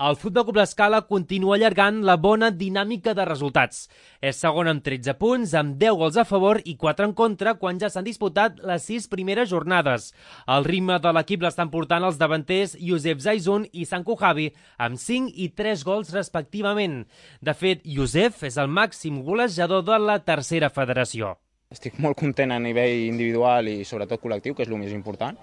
El Futbol Club L'Escala continua allargant la bona dinàmica de resultats. És segon amb 13 punts, amb 10 gols a favor i 4 en contra quan ja s'han disputat les 6 primeres jornades. El ritme de l'equip l'estan portant els davanters Youssef Zaizun i Sanku Javi, amb 5 i 3 gols respectivament. De fet, Youssef és el màxim golejador de la tercera federació. Estic molt content a nivell individual i sobretot col·lectiu, que és el més important.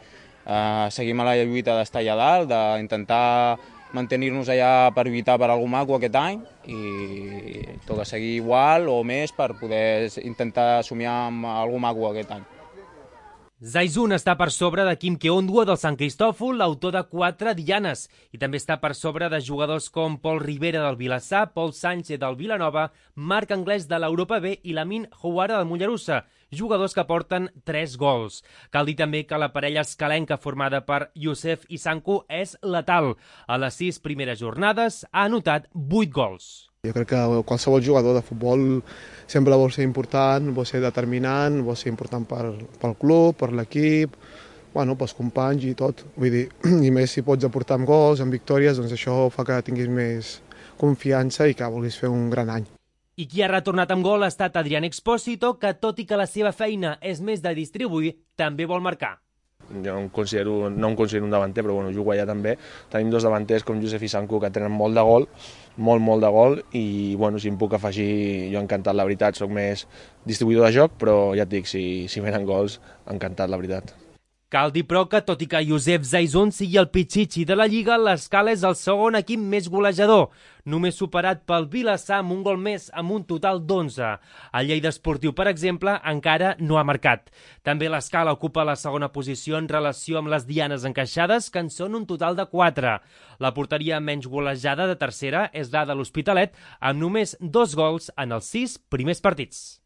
Seguim a la lluita d'estar allà dalt, d'intentar mantenir-nos allà per lluitar per algú maco aquest any i toca seguir igual o més per poder intentar somiar amb algú maco aquest any. Zaizun està per sobre de Quim Keondua del Sant Cristòfol, l'autor de 4 dianes, i també està per sobre de jugadors com Pol Rivera del Vilassar, Pol Sánchez del Vilanova, Marc Anglès de l'Europa B i Lamin Houara del Mollerussa, jugadors que porten 3 gols. Cal dir també que la parella escalenca formada per Youssef i Sanku és letal. A les 6 primeres jornades ha anotat 8 gols. Jo crec que qualsevol jugador de futbol sempre vol ser important, vol ser determinant, vol ser important pel club, per l'equip, pels companys i tot. Vull dir, i més si pots aportar amb gols, amb victòries, doncs això fa que tinguis més confiança i que vulguis fer un gran any. I qui ha retornat amb gol ha estat Adrián Expósito, que tot i que la seva feina és més de distribuir, també vol marcar. Jo no em considero un davanter, però jugo allà també. Tenim 2 davanters com Youssef i Sanku que tenen molt de gol, molt de gol, i si em puc afegir, jo encantat, la veritat, soc més distribuïdor de joc, però ja et dic, si venen gols, encantat, la veritat. Cal dir, però, que tot i que Youssef Zaizun sigui el pitxitxi de la Lliga, l'Escala és el segon equip més golejador, només superat pel Vilassar amb un gol més, amb un total d'11. El Lleida Esportiu, per exemple, encara no ha marcat. També l'Escala ocupa la segona posició en relació amb les dianes encaixades, que en són un total de 4. La porteria menys golejada de tercera és la de l'Hospitalet, amb només 2 gols en els 6 primers partits.